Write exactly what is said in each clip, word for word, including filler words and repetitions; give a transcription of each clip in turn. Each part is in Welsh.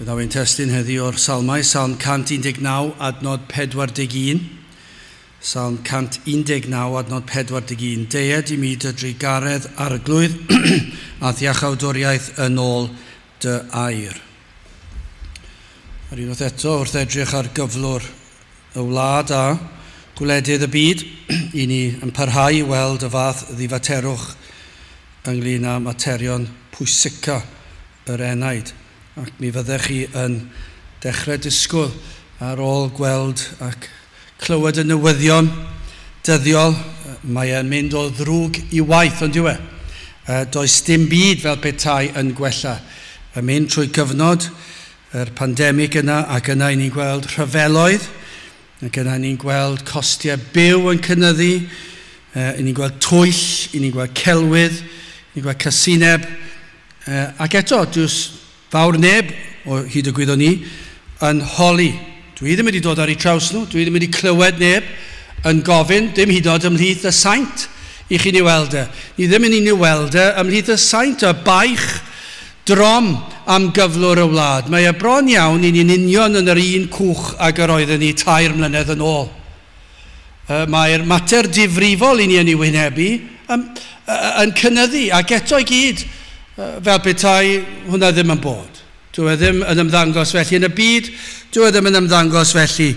Fe ddaw ein testun heddi o'r Salmau, Salm cant un deg naw, adnod pedwar deg un. Salm cant un deg naw, adnod pedwar deg un. Deued i mi dy drugaredd arglwydd a iachawdwriaeth yn ôl dy air. Yr unwaith eto, wrth edrych ar gyflwr y wlad a gwledydd y byd, i ni yn parhau i weld y fath ddifaterwch ynglyn â materion pwysica yr enaid. Ac mi fyddech chi yn dechrau disgwyl ar ôl gweld ac clywed y newyddion dyddiol. Mae e'n mynd o ddrwg i waith, ond yw e? Does dim byd fel petai yn gwella. Yn mynd trwy gyfnod yr pandemig yna, ac yna i ni'n gweld rhyfeloedd, ac yna ni'n gweld costiau byw yn cynyddu, i ni'n gweld twyll, i ni'n gweld celwydd, i ni'n gweld casineb, ac eto, does fawr neb, o hyd y gwyddon ni, yn holi. Dwi ddim wedi dod ar eu traws nhw, dwi ddim wedi clywed neb yn gofyn, dim hyd yn oed ymhlith y saint i chi ni weld e. Ni ddim yn ni weld e ymhlith y saint, y baich drom am gyflwr y wlad. Mae e bron iawn i ni'n union yn yr un cwch ag yr oedden ni tair mlynedd yn ôl. Mae'r mater difrifol i ni yn ei wynebu yn, yn cynyddu, ac eto i gyd, fel petai hwnna ddim yn bod. Dyw e ddim yn ymddangos felly yn y byd, dyw e ddim yn ymddangos felly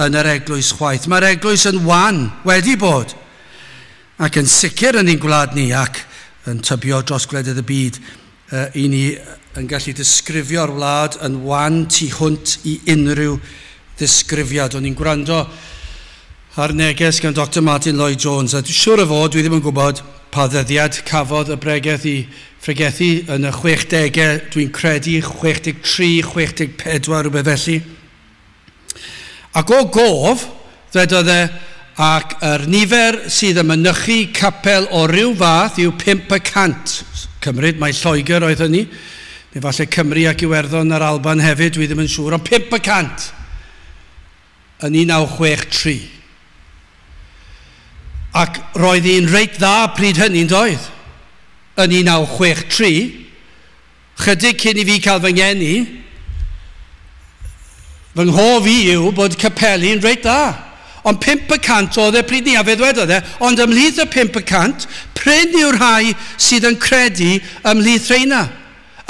yn yr eglwys chwaith. Mae'r eglwys yn wan, wedi bod, ac yn sicr yn ein gwlad ni, ac yn tybio dros gwledydd y byd, i ni yn gallu disgrifio'r wlad yn wan tu hwnt i unrhyw ddisgrifiad. O'n i'n gwrando ar neges gan Doctor Martin Lloyd-Jones, a dwi'n siŵr o fod, dwi ddim yn gwybod pa ddyddiad cafodd y bregeth i phregethu yn y chwechdegau, dwi'n credu chwech deg tri, chwech deg pedwar, rhywbeth felly. Ac o gof, ddwedodd e, ac yr nifer sydd yn mynychu capel o ryw fath yw pump y cant. Cymryd, mae Lloegr oedd hynny, neu falle Cymru ac Iwerddon a'r Alban hefyd, dwi ddim yn siŵr, ond pump y cant yn un naw chwech tri. Ac roedd hi'n reit dda pryd hynny'n doedd. Yn un naw chwech tri, chydig cyn i fi cael fy ngeni, fy nghof i yw bod capeli'n reit dda. Ond pump y cant oedd e pryd ni, a fe ddwedodd e, ond ymhlith y pump y cant, prin yw'r rhai sydd yn credu ymhlith rheina.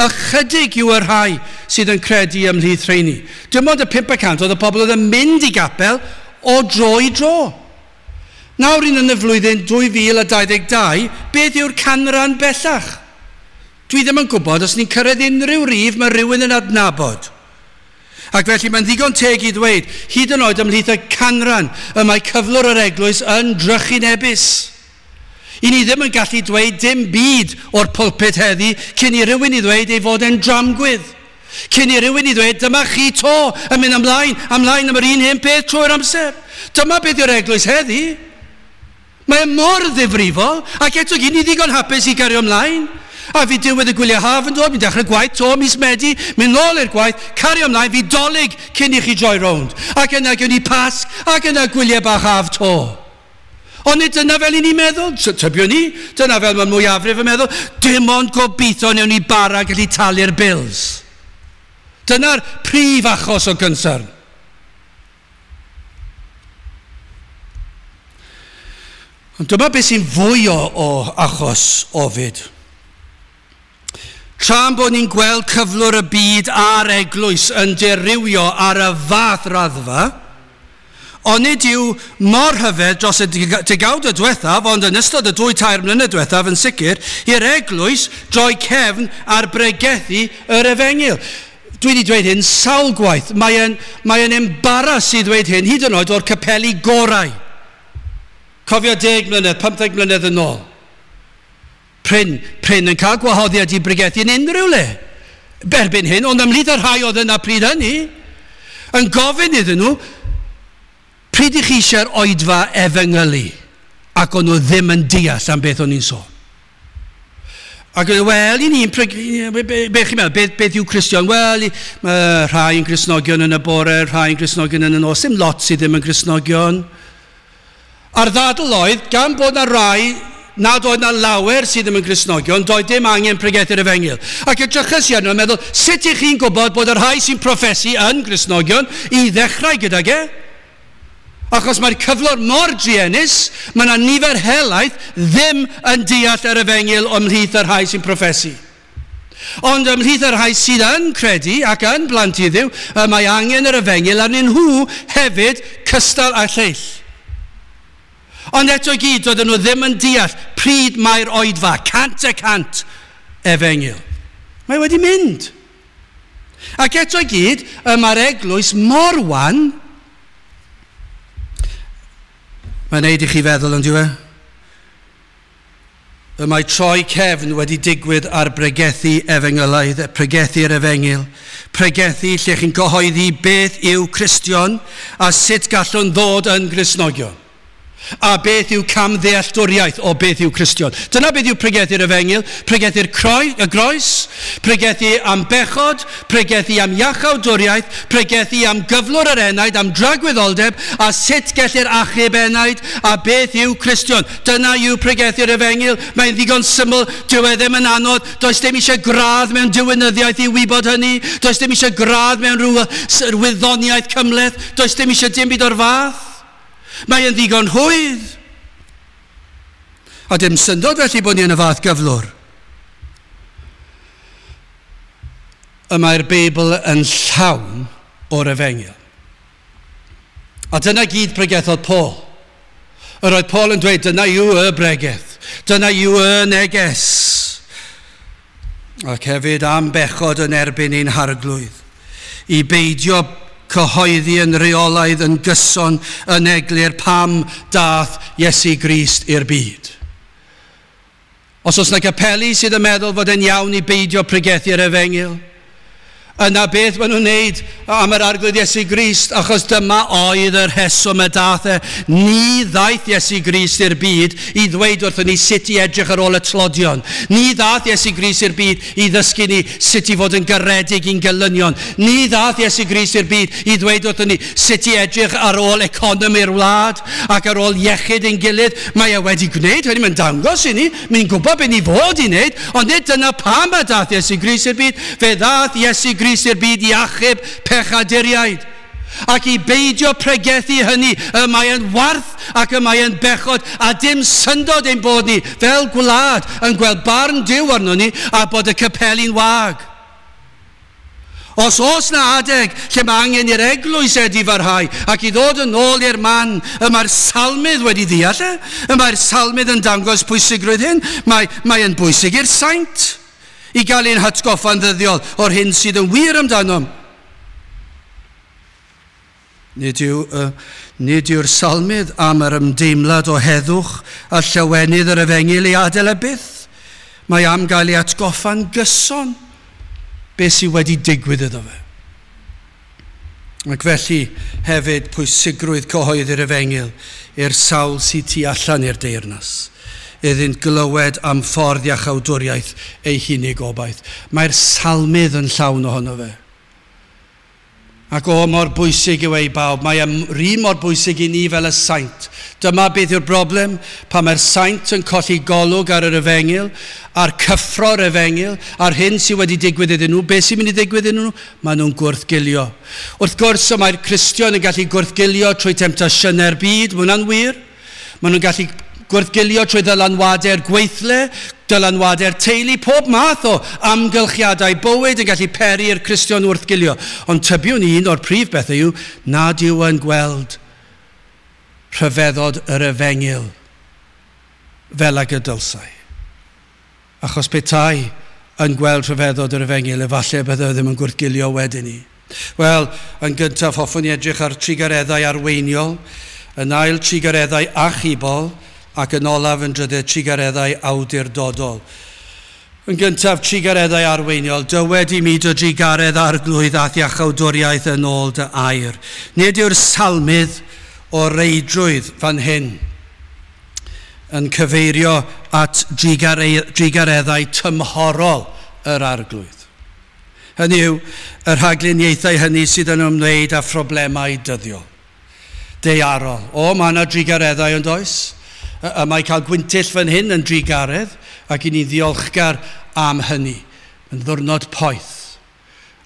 Ychydig yw y rhai sydd yn credu ymhlith rheini. Dim ond y pump y cant oedd y pobl oedd yn mynd i gapel o dro i dro. Nawr un yn y flwyddyn dwy fil a dau ddeg dau, beth yw'r canran bellach? Dwi ddim yn gwybod os ni'n cyrraedd unrhyw rif mae rhywun yn adnabod. Ac felly mae'n ddigon teg i ddweud, hyd yn oed ymhlith y canran y mae cyflwr yr eglwys yn drychinebus. I ni ddim yn gallu dweud dim byd o'r pulpit heddi cyn i rywun i ddweud ei fod e'n dramgwydd. Cyn i rywun i ddweud, dyma chi to yn mynd ymlaen, ymlaen am yr un hen peth trwy'r amser. Dyma beth yw'r eglwys heddi. Mae e mor ddifrifol, ac eto gyd ni ddigon hapus i gario ymlaen. A fi diwedd y gwyliau haf yn dod, mi'n dechrau gwaith to, mis Medi, mynd nôl i'r gwaith, cario ymlaen, fi dolyg cyn i chi droi rownd. Ac yna gewn ni Pasg, ac yna gwyliau bach haf to. Ond nid dyna fel i ni'n meddwl, tybio ni, dyna fel mae mwyafrif yn meddwl, dim ond gobeithio newn ni bara gallu talu'r bills. Dyna'r prif achos o gynsern. Ond dyma beth sy'n fwy o, o achos ofid. Tra'n bod ni'n gweld cyflwr y byd a'r eglwys yn dirywio ar y fath raddfa, ond nid yw mor rhyfedd dros y degawd y diwethaf, ond yn ystod y dwy tair mlynedd diwethaf yn sicr, i'r eglwys droi cefn ar bregethu yr efengyl. Dwi wedi dweud hyn sawl gwaith. Mae'n mae embaras i ddweud hyn, hyd yn oed o'r capeli gorau. Cofio deg mlynedd, pymtheg mlynedd yn ôl. Prin, prin yn cael gwahoddiad i bregethu yn unrhyw le. Erbyn hyn, ond ymhlith y rhai oedd yna pryd hynny, yn gofyn iddyn nhw, pryd i chi eisiau'r oedfa efengylu? Ac o'n nhw ddim yn deall am beth o'n i'n sôn. Ac wel, i ni'n, be chi'n meddwl, beth, beth yw Cristion? Wel, mae rhai yn Gristnogion yn y bore, rhai yn Gristnogion yn y nos, dim lot sydd ddim yn Gristnogion. A'r ddadl oedd, gan bod na rai nad oedd na lawer sydd ddim yn Gristnogion, doedd dim angen pregethu'r efengyl. Ac edrychais i arno yn meddwl, sut ych chi'n gwybod bod y rhai sy'n proffesu yn Gristnogion i ddechrau gydag e? Achos mae'r cyflwr mor druenus, mae yna nifer helaeth ddim yn deall yr efengyl ymhlith y rhai sy'n proffesu. Ond ymhlith y rhai sydd yn credu ac yn blant i Dduw, mae angen yr efengyl arnyn nhw hefyd cystal â lleill. Ond eto i gyd, doedden nhw ddim yn deall pryd mae'r oedfa, cant y cant efengyl. Mae wedi mynd. Ac eto i gyd, y mae'r eglwys mor wan. Mae'n neud i chi feddwl, yn dyw e? Y mae troi cefn wedi digwydd ar bregethu efengylaidd, pregethu'r efengyl, pregethu lle chi'n cyhoeddi beth yw Cristion a sut gallwn ddod yn Gristnogion. A beth yw camddealltwriaeth o beth yw Cristion. Dyna beth yw pregethu'r efengyl, pregethu'r croi, y groes, pregethu am bechod, pregethu am iachawdwriaeth, pregethu am gyflwr yr enaid, am dragwyddoldeb, a sut gellir achub enaid, a beth yw Cristion. Dyna yw pregethu'r efengyl. Mae'n ddigon syml, dyw e ddim yn anodd, does dim eisiau gradd mewn diwinyddiaeth i wybod hynny, does dim eisiau gradd mewn rhyw wyddoniaeth cymhleth, does dim eisiau dim byd o'r fath. Mae yn ddigon rhwydd. A dim syndod felly bod ni yn y fath gyflwr. Y mae'r Beibl yn llawn o'r efengyl. A dyna gyd pregethodd Paul. Yr oedd Paul yn dweud, dyna yw y bregeth. Dyna yw y neges. Ac hefyd am bechod yn erbyn ein harglwydd. I beidio cyhoeddi yn reolaidd yn gyson yn eglur pam dath Iesu Grist i'r byd. Os oes yna capeli sydd yn meddwl fod yn iawn i beidio pregethu'r efengyl, yna beth maen nhw'n wneud am yr arglwydd Iesu Grist, achos dyma oedd y rheswm y dath e. Ni ddaeth Iesu Grist i'r byd i ddweud wrthon ni sut i edrych ar ôl y tlodion. Ni ddaeth Iesu Grist i'r byd i ddysgu ni sut i fod yn garedig i'n gelynion. Ni ddaeth Iesu Grist i'r byd i ddweud wrthon ni sut i edrych ar ôl economi'r wlad ac ar ôl iechyd ein gilydd. Mae e wedi gwneud hynny, mae'n dangos i ni, mae'n gwybod beth ni fod i wneud, ond nid dyna pam y dath Iesu Grist i'r byd. Fe ddath Iesu Grist i'r byd i achub pechaduriaid. Ac i beidio pregethu hynny, y mae yn warth ac y mae yn bechod, a dim syndod ein bod ni fel gwlad yn gweld barn Duw arno ni a bod y capeli'n wag. Os oes na adeg lle mae angen i'r eglwys edifarhau ac i ddod yn ôl i'r man y mae'r salmydd wedi ddeall e, y mae'r salmydd yn dangos pwysigrwydd hyn, mae, mae yn bwysig i'r saint i gael ein hatgoffa'n ddyddiol o'r hyn sydd yn wir amdanom. Nid yw, uh, nid yw'r salmydd am yr ymdeimlad o heddwch a llawenydd yr efengyl i adael e byth. Mae am gael ei atgoffa'n gyson beth sydd wedi digwydd iddo fe. Ac felly hefyd pwysigrwydd cyhoeddi'r efengyl i'r sawl sydd tu allan i'r deyrnas, iddynt glywed am ffordd iachawdwriaeth ei hunig obaith. Mae'r salmydd yn llawn ohono fe. Ac o mor bwysig yw ei bawb, mae yr un mor bwysig i ni fel y saint. Dyma beth yw'r broblem, pan mae'r saint yn colli golwg ar yr efengyl, a'r cyffro'r efengyl, a'r hyn sydd wedi digwydd iddyn nhw, beth sy'n mynd i ddigwydd iddyn nhw? Maen nhw'n gwrthgilio. Wrth gwrs, mae'r Cristion yn gallu gwrthgilio trwy temtasiynau'r byd, mae hwnna'n wir. Maen nhw'n gallu gwrthgilio trwy ddylanwadau'r gweithle, dylanwadau'r teulu, pob math o amgylchiadau bywyd yn gallu peri i'r Cristion wrthgilio. Ond tybiwn un o'r prif bethau yw nad yw yn gweld rhyfeddod yr efengyl fel ag y dylsai. Achos petai yn gweld rhyfeddod yr efengyl, efallai byddai ddim yn gwrthgilio wedyn ni. Wel, yn gyntaf hoffwn i edrych ar trugareddau arweiniol, yn ail trugareddau achubol, ac yn olaf yn drydydd trugareddau awdurdodol. Yn gyntaf, trugareddau arweiniol. Dywed i mi dy drugaredd arglwydd a'th iachawdwriaeth yn ôl dy air. Nid yw'r salmydd o reidrwydd fan hyn yn cyfeirio at drugareddau tymhorol yr arglwydd. Hynny yw, y rhagluniaethau hynny sydd yn ymwneud â phroblemau dyddiol, daearol. O, mae yna drugareddau yn does? Y mae cael gwyntyll fan hyn yn drugaredd, ac i ni ddiolchgar am hynny. Yn ddwrnod poeth,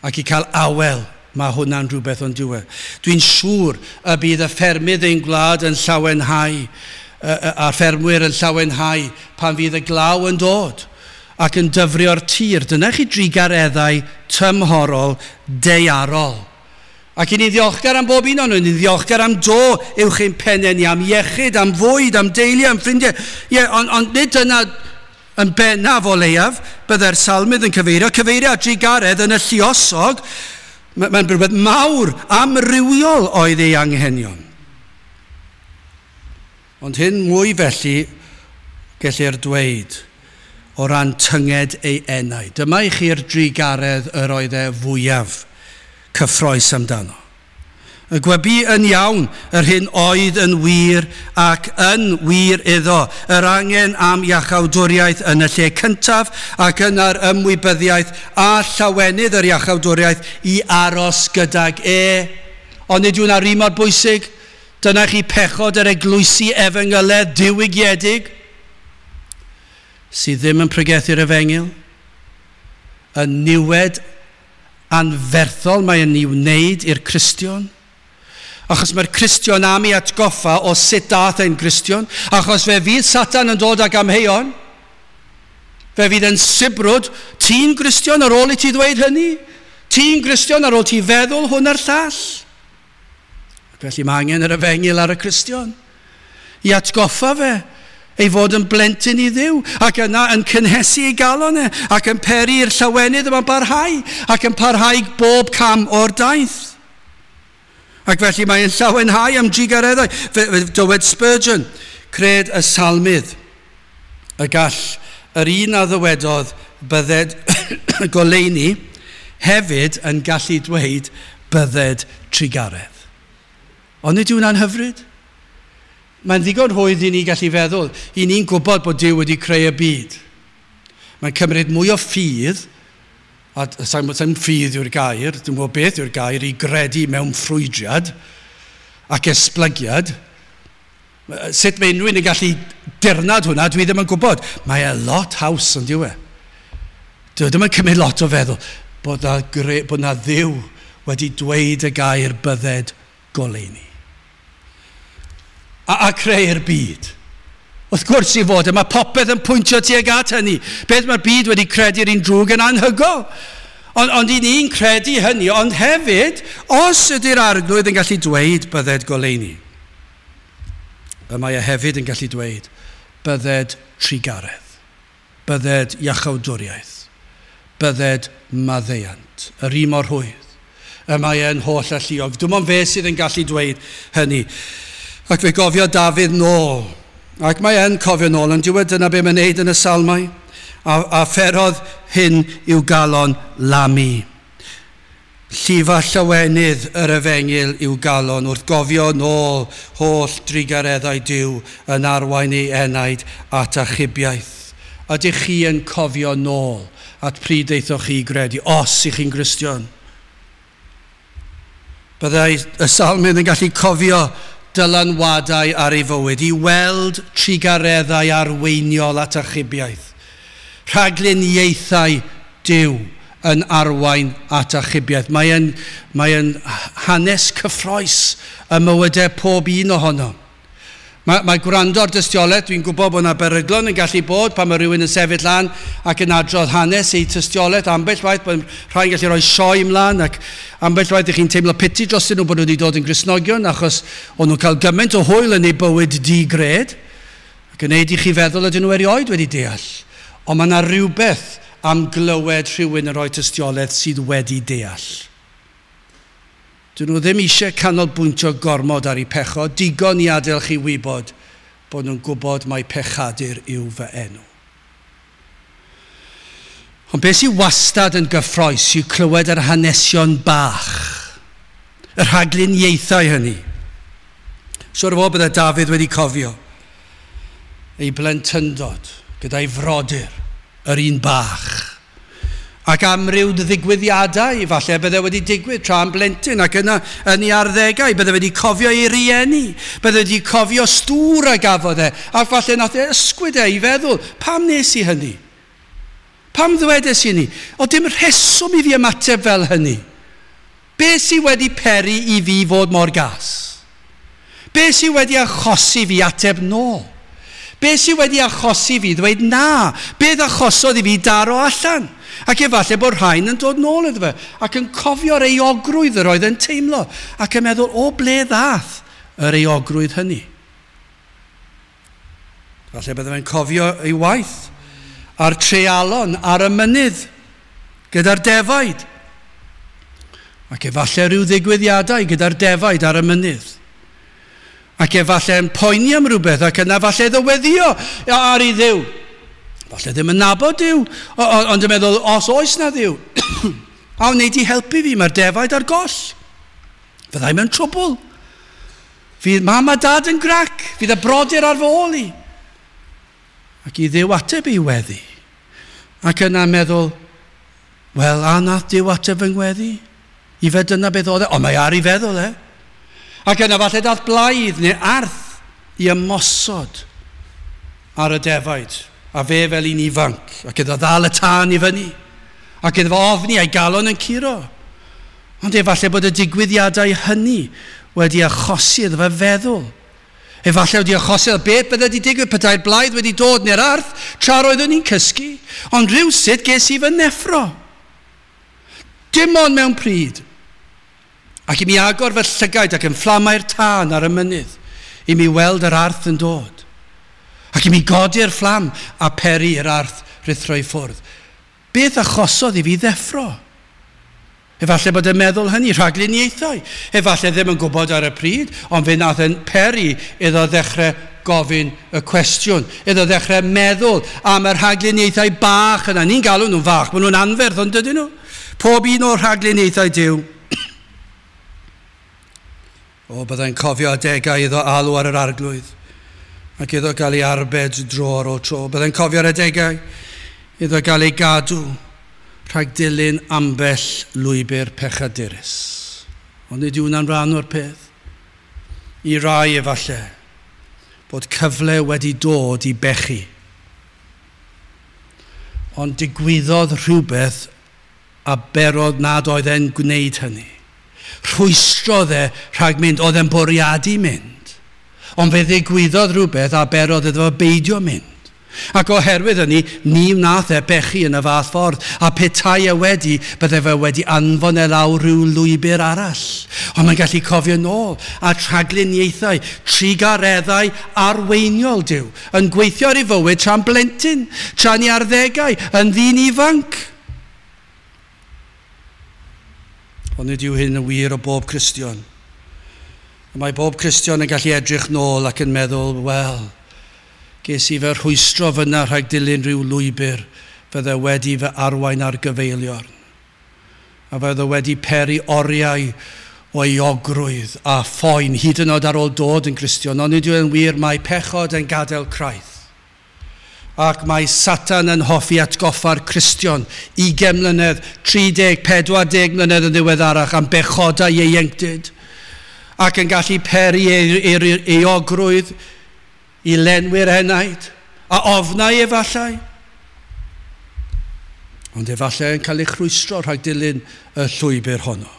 ac i cael awel, mae hwnna'n rhywbeth o'n diwedd. Dwi'n siŵr y bydd y ffermydd ein gwlad yn llawenhau, a'r ffermwyr yn llawenhau pan fydd y glaw yn dod ac yn dyfrio'r tir. Dyna chi drugareddau tymhorol daearol. Ac i ni ddiolchgar am bob un o'n nhw, ni'n ddiolchgar am do uwch ein pennau ni, am iechyd, am fwyd, am deulu, am ffrindiau. Ie, ond on, nid dyna yn bennaf o leiaf, byddai'r salmydd yn cyfeirio, cyfeirio at drugaredd yn y lluosog, mae'n rhywbeth mawr, amrywiol oedd ei anghenion. Ond hyn mwy felly, gellir dweud, o ran tynged ei enau. Dyma i chi'r drugaredd yr oedd e fwyaf cyffrous amdano. Y gwebu yn iawn yr hyn oedd yn wir ac yn wir iddo, yr angen am iachawdwriaeth yn y lle cyntaf ac yna'r ymwybyddiaeth a llawenydd yr iachawdwriaeth i aros gydag e. Ond nid yw'n ar un mor bwysig. Dyna chi pechod yr eglwysi efengyledd diwygiedig sydd ddim yn pregethu'r efengyl, y niwed anferthol mae yn ei wneud i'r Cristion. Achos mae'r Cristion am ei atgoffa o sut dath e'n Gristion, achos fe fydd Satan yn dod ag amheuon, fe fydd yn sibrwd, ti'n Gristion ar ôl i ti ddweud hynny? Ti'n Gristion ar ôl ti feddwl hwn a'r llall? Felly mae angen yr efengyl ar y Cristion i atgoffa fe ei fod yn blentyn i Dduw, ac yna yn cynhesu ei galon e, ac yn peri i'r llawenydd yma'n barhau, ac yn parhau bob cam o'r daith. Ac felly mae'n llawenhau am drugareddau. Fe, fe, dywed Spurgeon, cred y salmydd, y gall yr un a ddywedodd bydded goleuni hefyd yn gallu dweud bydded trugaredd. Ond nid yw hwnna'n hyfryd? Mae'n ddigon rhwydd i ni gallu feddwl. I ni'n gwybod bod Duw wedi creu y byd. Mae'n cymryd mwy o ffydd, a sa'n sa ffydd yw'r gair, dwi'n gwybod beth yw'r gair, i gredu mewn ffrwydriad ac esblygiad. Sut mae unrhyw un yn gallu dirnad hwnna, dwi ddim yn gwybod. Mae e lot haws yn dyw e. Dwi ddim yn cymryd lot o feddwl bod na, gre, bod na Dduw wedi dweud y gair bydded goleuni. A, a creu'r byd. Wrth gwrs i fod, mae popeth yn pwyntio tuag at hynny. Beth mae'r byd wedi credu'r un drwg yn anhygoel. Ond, ond i ni'n credu hynny, ond hefyd, os ydy'r Arglwydd yn gallu dweud bydded goleuni, y mae e hefyd yn gallu dweud bydded trugaredd, bydded iachawdwriaeth, bydded maddeuant, yr un mor rhwydd. Y mae e'n holl alluog. Dim ond fe sydd yn gallu dweud hynny. Ac fe gofio Dafydd nôl. Ac mae e'n cofio nôl, yn diwedd dyna be mae'n neud yn y salmau. A, a pherodd hyn i'w galon lamu. Llifa llawenydd yr efengyl i'w galon wrth gofio nôl holl drugareddau Duw yn arwain ei enaid at achubiaeth. Ydych chi yn cofio nôl at pryd aethoch chi i gredu, os ych chi'n Gristion? Byddai y salmydd yn gallu cofio dylanwadau ar ei fywyd, i weld trugareddau arweiniol at achubiaeth. Rhagluniaethau Duw yn arwain at achubiaeth. Mae'n mae hanes cyffrous y mywydau pob un ohono. Mae, mae gwrando ar dystiolaeth, dwi'n gwybod bod yna beryglon yn gallu bod pan mae rhywun yn sefyll lan ac yn adrodd hanes ei tystiolaeth. Ambell waith bod rhai'n gallu rhoi sioe ymlaen ac ambell waith ych chi'n teimlo piti drostyn nhw bod nhw wedi dod yn Gristnogion achos o'n nhw'n cael gymaint o hwyl yn eu bywyd di-gred ac yn neud i chi feddwl ydyn nhw erioed wedi deall. Ond mae yna rhywbeth am glywed rhywun yn rhoi tystiolaeth sydd wedi deall. Dyn nhw ddim eisiau canolbwyntio gormod ar eu pechod, digon i adael chi wybod bod nhw'n gwybod mai pechadur yw fy enw. Ond beth sydd wastad yn gyffrous yw clywed yr hanesion bach, y rhagluniaethau hynny. Siwr o fod bydde Dafydd wedi cofio ei blentyndod gyda'i frodyr, yr un bach, Ac amryw ddigwyddiadau, falle bydde wedi digwydd tra yn blentyn ac yna yn ei arddegau, bydde wedi cofio ei rieni, bydde wedi cofio stŵr a gafodd e, a falle nath e ysgwyd e i feddwl, pam nes i hynny? Pam ddwedes i ni? O dim rheswm i fi ymateb fel hynny. Be sydd wedi peri i fi fod mor gas? Be sydd wedi achosi fi ateb nôl? Be sydd wedi achosi fi ddweud na? Beth achosodd i fi daro allan? Ac efallai bod rhain yn dod nôl iddo fe ac yn cofio'r euogrwydd yr oedd yn teimlo ac yn meddwl o ble ddath yr euogrwydd hynny. Falle bydde fe'n cofio ei waith a'r treialon ar y mynydd gyda'r defaid. Ac efallai rhyw ddigwyddiadau gyda'r defaid ar y mynydd. Ac efallai yn poeni am rhywbeth ac yna falle iddo weddio ar ei Dduw. Falle ddim yn nabod Duw, ond yn meddwl, os oes na Dduw, a wnei di helpu fi, mae'r defaid ar goll. Fyddai mewn trwbl. Fydd mam a dad yn grac, fydd y brodyr ar fy ôl i. Ac i Dduw ateb ei weddi. Ac yna meddwl, wel, a nath Duw ateb fy ngweddi? I fe dyna beth oedd e, ond mae ar ei feddwl e. Ac yna falle dath blaidd neu arth i ymosod ar y defaid. A fe fel un ifanc, ac iddo ddal y tân i fyny, ac iddo fo ofni a'i galon yn curo. Ond efallai bod y digwyddiadau hynny wedi achosi iddo fe feddwl. Efallai wedi achosi iddo beth bydde wedi digwydd petai'r blaidd wedi dod neu'r arth tra roeddwn i'n cysgu, ond rhywsut ges i fy neffro. Dim ond mewn pryd. Ac i mi agor fy llygaid ac yn fflamau'r tân ar y mynydd, i mi weld yr arth yn dod. Ac i mi godi'r fflam a peri i'r arth rhuthro i ffwrdd. Beth achosodd i fi ddeffro? Efallai bod yn meddwl hynny, rhagluniaethau. Efallai ddim yn gwybod ar y pryd, ond fe nath yn peri iddo ddechrau gofyn y cwestiwn. Iddo ddechrau meddwl am y rhagluniaethau bach yna. Ni'n galw nhw'n fach, maen nhw'n anferth, ond dydyn nhw? Pob un o'r rhagluniaethau Duw. O, byddai'n cofio adegau iddo alw ar yr arglwydd ac iddo gael ei arbed dro ar ôl tro. Byddai'n cofio'r adegau iddo gael ei gadw rhag dilyn ambell lwybr pechadurus. Ond nid yw hwnna'n rhan o'r peth. I rai efallai bod cyfle wedi dod i bechu. Ond digwyddodd rhywbeth a berodd nad oedd e'n gwneud hynny. Rhwystrodd e rhag mynd, oedd e'n bwriadu mynd. Ond fe ddigwyddodd rhywbeth a berodd iddo fo beidio mynd. Ac oherwydd hynny, ni wnaeth e bechu yn y fath ffordd. A petai e wedi, bydde fe wedi anfon e lawr rhyw lwybr arall. Ond mae'n gallu cofio nôl a rhagluniaethau, trugareddau arweiniol Duw, yn gweithio ar ei fywyd tra'n blentyn, tra'n ei arddegau, yn ddyn ifanc. Ond nid yw hyn yn wir o bob Cristion. Mae bob Cristion yn gallu edrych nôl ac yn meddwl, wel, ges i fy rhwystro fyna rhag dilyn rhyw lwybr fydde wedi fy arwain ar gyfeiliorn. A fydde wedi peri oriau o euogrwydd a phoen hyd yn oed ar ôl dod yn Gristion. Ond nid yw'n wir, mae pechod yn gadael craith. Ac mae Satan yn hoffi atgoffa'r Cristion ugain mlynedd, tri deg, pedwar deg mlynedd yn ddiweddarach am bechodau ieuenctid. Ac yn gallu peri euogrwydd i lenwi'r enaid, a ofnau efallai. Ond efallai yn cael ei chrwystro rhag dilyn y llwybr honno.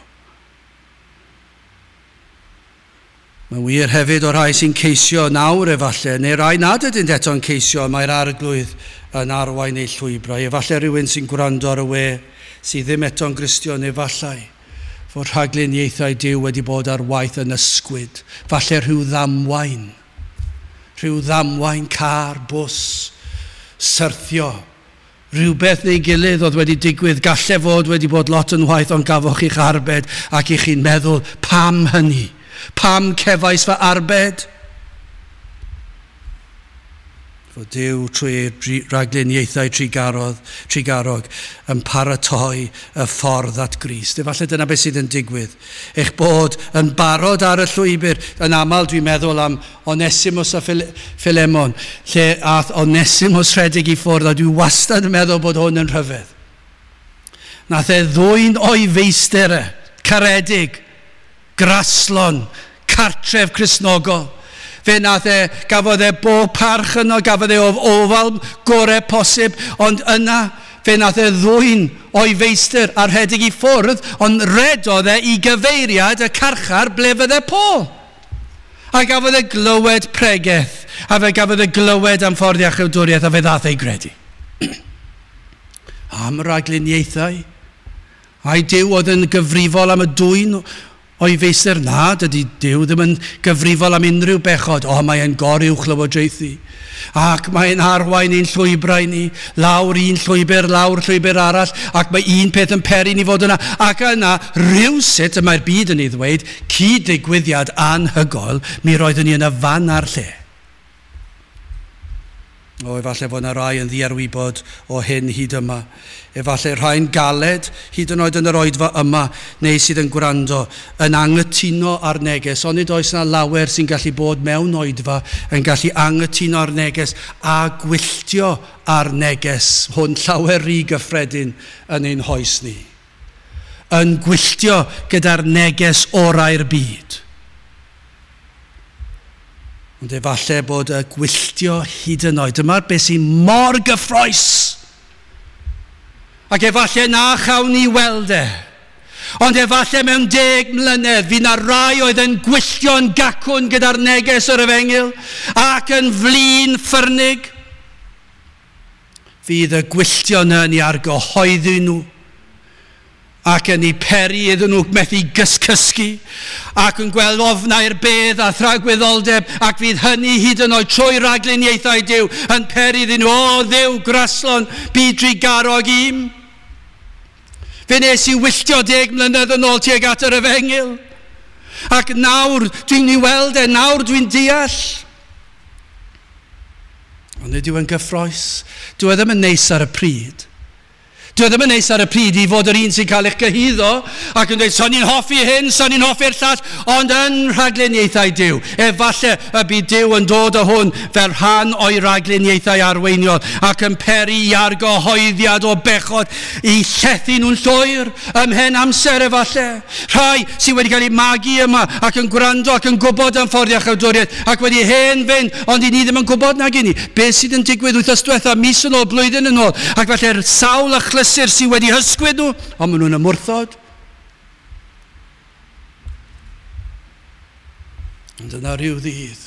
Mae'n wir hefyd o'r rhai sy'n ceisio nawr efallai, neu rai nad ydynt eto'n ceisio, mae'r arglwydd yn arwain eu llwybrau. Efallai rhywun sy'n gwrando ar y we sydd ddim eto'n Gristion efallai, fod rhagluniaethau Duw wedi bod ar waith yn ysgwyd. Falle rhyw ddamwain, rhyw ddamwain car, bws, syrthio. Rhywbeth neu gilydd oedd wedi digwydd, galle fod wedi bod lot yn waith, ond gafoch chi'ch arbed ac i chi'n meddwl, pam hynny? Pam cefais fy arbed? Fod Duw trwy ei ragluniaethau trugarodd, trugarog yn paratoi y ffordd at Grist. Efallai dyna beth sydd yn digwydd. Eich bod yn barod ar y llwybr. Yn aml dwi'n meddwl am Onesimus a Philemon, lle ath Onesimus rhedeg i ffwrdd, a dwi wastad yn meddwl bod hwn yn rhyfedd. Nath e ddwyn o'i feistr e, caredig, graslon, cartref Cristnogol. Fe nath e, gafodd e bob parch yno, gafodd e ofal gorau posib, ond yna fe nath e ddwyn o'i feistr a rhedeg i ffwrdd, ond redodd e i gyfeiriad y carchar ble fydde Paul. A gafodd e glywed pregeth, a fe gafodd e glywed am ffordd iachawdwriaeth, a fe ddath ei gredu. Am ragluniaethau. Ai Duw oedd yn gyfrifol am y dwyn o'i feistr? Na, dydy Duw ddim yn gyfrifol am unrhyw bechod. O, mae e'n goruwch lywodraethu. Ac mae'n arwain ein llwybrau ni, lawr un llwybr, lawr llwybr arall, ac mae un peth yn peri ni fod yna. Ac yna, rhywsut, y mae'r byd yn ei ddweud, cyd-ddigwyddiad anhygoel, mi roeddwn ni yn y fan a'r lle. O, efallai fod yna rai yn ddiarwybod o hyn hyd yma. Efallai rhai'n galed, hyd yn oed yn yr oedfa yma, neu sydd yn gwrando, yn anghytuno ar neges. Ond nid oes yna lawer sy'n gallu bod mewn oedfa yn gallu anghytuno ar neges a gwylltio ar neges hwn llawer rhy gyffredin yn ein hoes ni. Yn gwylltio gyda'r neges orau'r byd. Ond efallai bod y gwylltio hyd yn oed. Dyma'r beth sy'n mor gyffrous. Ac efallai na chawn ni weld e. Ond efallai mewn deg mlynedd, fydd na rai oedd yn gwylltio'n gacwn gyda'r neges o'r efengyl ac yn flin ffyrnig. Fydd y gwylltio yna yn ei argyhoeddi nhw ac yn ei peri iddyn nhw methu gyscysgu ac yn gweld ofnau'r bedd a thragwyddoldeb, ac fydd hynny hyd yn oed trwy ragluniaethau Duw yn peri iddyn nhw, o Dduw graslon, byd drugarog i'm. Fe nes i wylltio deg mlynedd yn ôl tuag at yr efengyl. Ac nawr dwi'n ei weld e, nawr dwi'n deall. Ond nid yw yn gyffrous. Dyw e ddim yn neis ar y pryd. Dyw e ddim yn neis ar y pryd i fod yr un sy'n cael eich gyhuddo ac yn dweud, so ni'n hoffi hyn, so ni'n hoffi'r llall, ond yn rhagluniaethau Duw. Efallai y bydd Duw yn dod o hwn fel rhan o'i ragluniaethau arweiniol ac yn peri i argyhoeddiad o bechod i llethu nhw'n llwyr ymhen amser efallai. Rhai sydd wedi cael eu magu yma ac yn gwrando ac yn gwybod am ffordd iachawdwriaeth ac wedi hen fynd, ond i ni ddim yn gwybod nag i ni. Beth sydd yn digwydd wythnos diwetha, mis yn ôl, blwyddyn yn ôl, ac felly'r sawl achlysur sydd wedi hysgwyd nhw, ond maen nhw'n ymwrthod. Ond yna rhyw ddydd,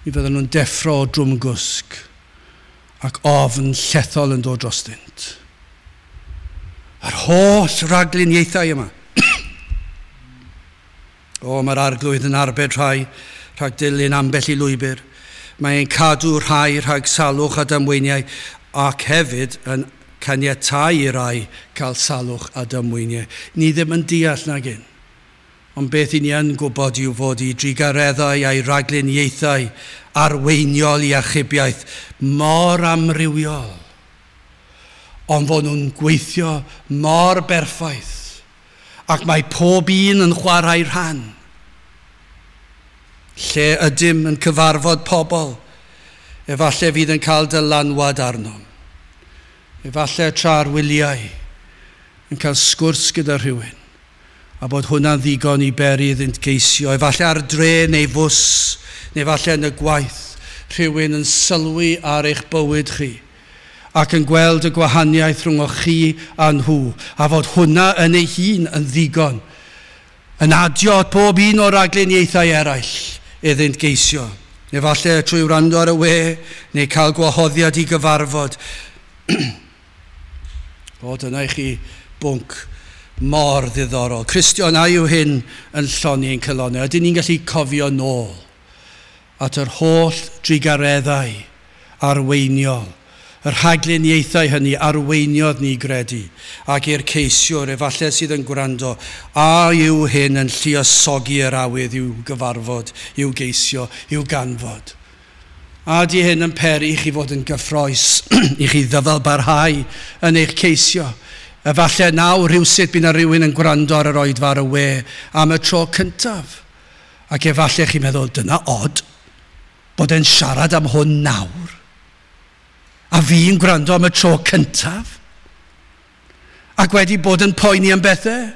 mi fydden nhw'n deffro o drwmgwsg ac ofn llethol yn dod drostynt. Yr holl ragluniaethau yma. O, mae'r arglwydd yn arbed rhai rhag dilyn ambell i lwybr. Mae'n cadw rhai rhag salwch a damweiniau ac hefyd yn caniatáu i rai cael salwch a damweiniau. Ni ddim yn deall nag un. Ond beth i ni yn gwybod yw fod i drugareddau a'i ragluniaethau arweiniol i achubiaeth mor amrywiol. Ond fod nhw'n gweithio mor berffaith. Ac mae pob un yn chwarae rhan. Lle ydym yn cyfarfod pobl, efallai fydd yn cael dylanwad arnom. Efallai tra'r wyliau yn cael sgwrs gyda rhywun a bod hwnna'n ddigon i beri iddynt geisio. Efallai ar dre neu fws, neu efallai yn y gwaith, rhywun yn sylwi ar eich bywyd chi ac yn gweld y gwahaniaeth rhwng chi a nhw, a fod hwnna yn ei hun yn ddigon, yn adio at pob un o'r ragluniaethau eraill iddynt geisio. Efallai trwy wrando ar y we, neu cael gwahoddiad i gyfarfod. O, dyna i chi bwnc mor ddiddorol. Cristion, a yw hyn yn llonni ein calonnau? Ydyn ni'n gallu cofio nôl at yr holl drugareddau arweiniol, y rhagluniaethau hynny arweiniodd ni gredu, ac i'r ceisiwr efallai sydd yn gwrando, a yw hyn yn lluosogi yr awydd i'w gyfarfod, i'w geisio, i'w ganfod? A di hyn yn peri i chi fod yn gyffrous, i chi ddyfal barhau yn eich ceisio. Efallai nawr rhywsut bydd na rhywun yn gwrando ar yr oedfa ar y we am y tro cyntaf. Ac efallai chi'n meddwl, dyna od, bod e'n siarad am hwn nawr. A fi'n gwrando am y tro cyntaf. Ac wedi bod yn poeni am bethau?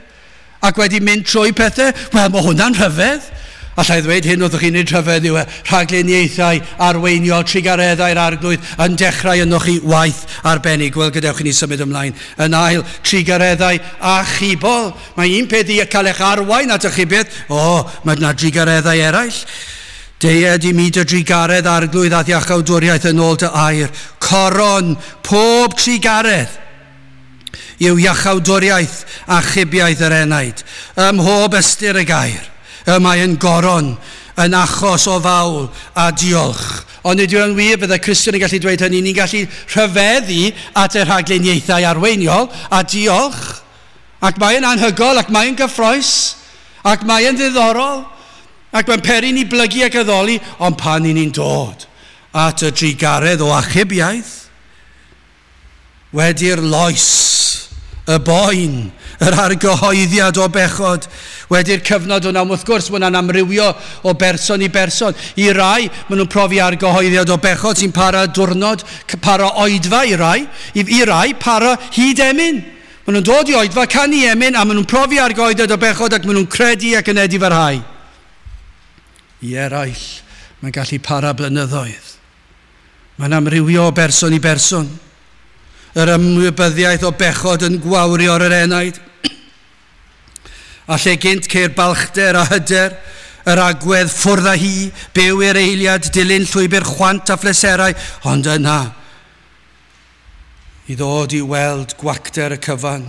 Ac wedi mynd trwy pethau? Wel, mae hwnna'n rhyfedd. Alla i ddweud hyn wrthych chi'n ei rhyfedd yw e, rhagluniaethau arweiniol trugareddau'r Arglwydd yn dechrau ynoch chi waith arbennig. Wel, gadewch i ni symud ymlaen. Yn ail, trugareddau achubol. Mae un peth i cael eich arwain at achubiaeth. O, mae yna trugareddau eraill. Deued i mi dy drugaredd Arglwydd a'th iachawdwriaeth yn ôl dy air. Coron pob trugaredd yw iachawdwriaeth achubiaeth yr enaid. Ym mhob ystyr y gair. Y mae yn goron, yn achos o fawl a diolch. Ond nid yw'n wir bydde Cristion yn gallu dweud hynny, ni'n gallu rhyfeddu at y rhagluniaethau arweiniol a diolch. Ac mae'n anhygoel, ac mae'n gyffrous, ac mae'n ddiddorol, ac mae'n peri ni blygu ac addoli, ond pan i ni'n dod at y trugaredd o achubiaeth, wedi'r loes, y boen, yr argyhoeddiad o bechod, wedi'r cyfnod hwnna, wrth gwrs, mae hwnna'n amrywio o berson i berson. I rai, maen nhw'n profi argyhoeddiad o bechod sy'n para diwrnod, para oedfa i rai, i, i rai para hyd emyn. Maen nhw'n dod i oedfa, canu emyn, a maen nhw'n profi argyhoeddiad o bechod ac maen nhw'n credu ac yn edifarhau. I eraill, mae'n gallu para blynyddoedd. Mae'n amrywio o berson i berson. Yr ymwybyddiaeth o bechod yn gwawrio ar yr enaid. A lle gynt ceir balchder a hyder, yr agwedd ffwrdd â hi, byw i'r eiliad, dilyn llwybr chwant a phleserau, ond yna, i ddod i weld gwacter y cyfan,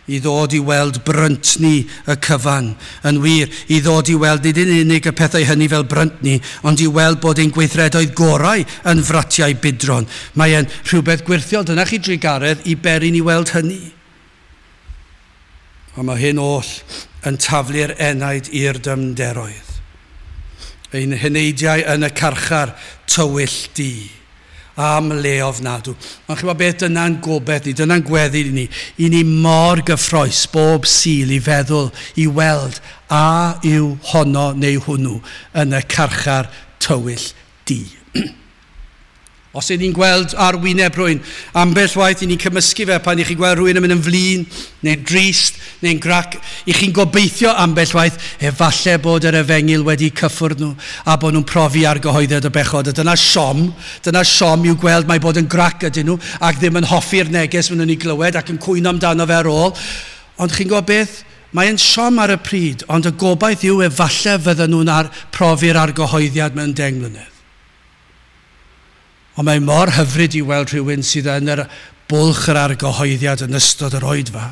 i ddod i weld bryntni y cyfan, yn wir, i ddod i weld nid yn unig y pethau hynny fel bryntni, ond i weld bod ein gweithredoedd gorau yn fratiau budron. Mae e'n rhywbeth gwirthiol, dyna chi drugaredd i beri ni weld hynny. Ond mae hyn oll yn taflu'r enaid i'r dyfnderoedd. Ein heneidiau yn y carchar tywyll du. Am le ofnadw. Ond chi'n gwybod beth, dyna'n gobaith ni, dyna'n gweddi ni. I ni mor gyffrous bob Sul i feddwl, i weld a yw honno neu hwnnw yn y carchar tywyll du. Os ydyn ni'n gweld ar wyneb rhywun, ambell waith i ni'n cymysgu fe pan i chi'n gweld rhywun yn mynd yn flin, neu'n drist, neu'n grac, i chi'n gobeithio ambell waith, efallai bod yr efengyl wedi cyffwrdd nhw a bod nhw'n profi argyhoeddiad o bechod. A dyna siom, dyna siom i'w gweld mai bod yn grac ydyn nhw ac ddim yn hoffi'r neges maen nhw'n ei glywed ac yn cwyno amdano fe ar ôl. Ond chi'n gwybod beth? Mae'n siom ar y pryd, ond y gobaith yw efallai fydden nhw'n ar profi'r argyhoeddiad mewn deng mlynedd. Ond mae mor hyfryd i weld rhywun sydd yn yr bwlch yr argyhoeddiad yn ystod yr oedfa.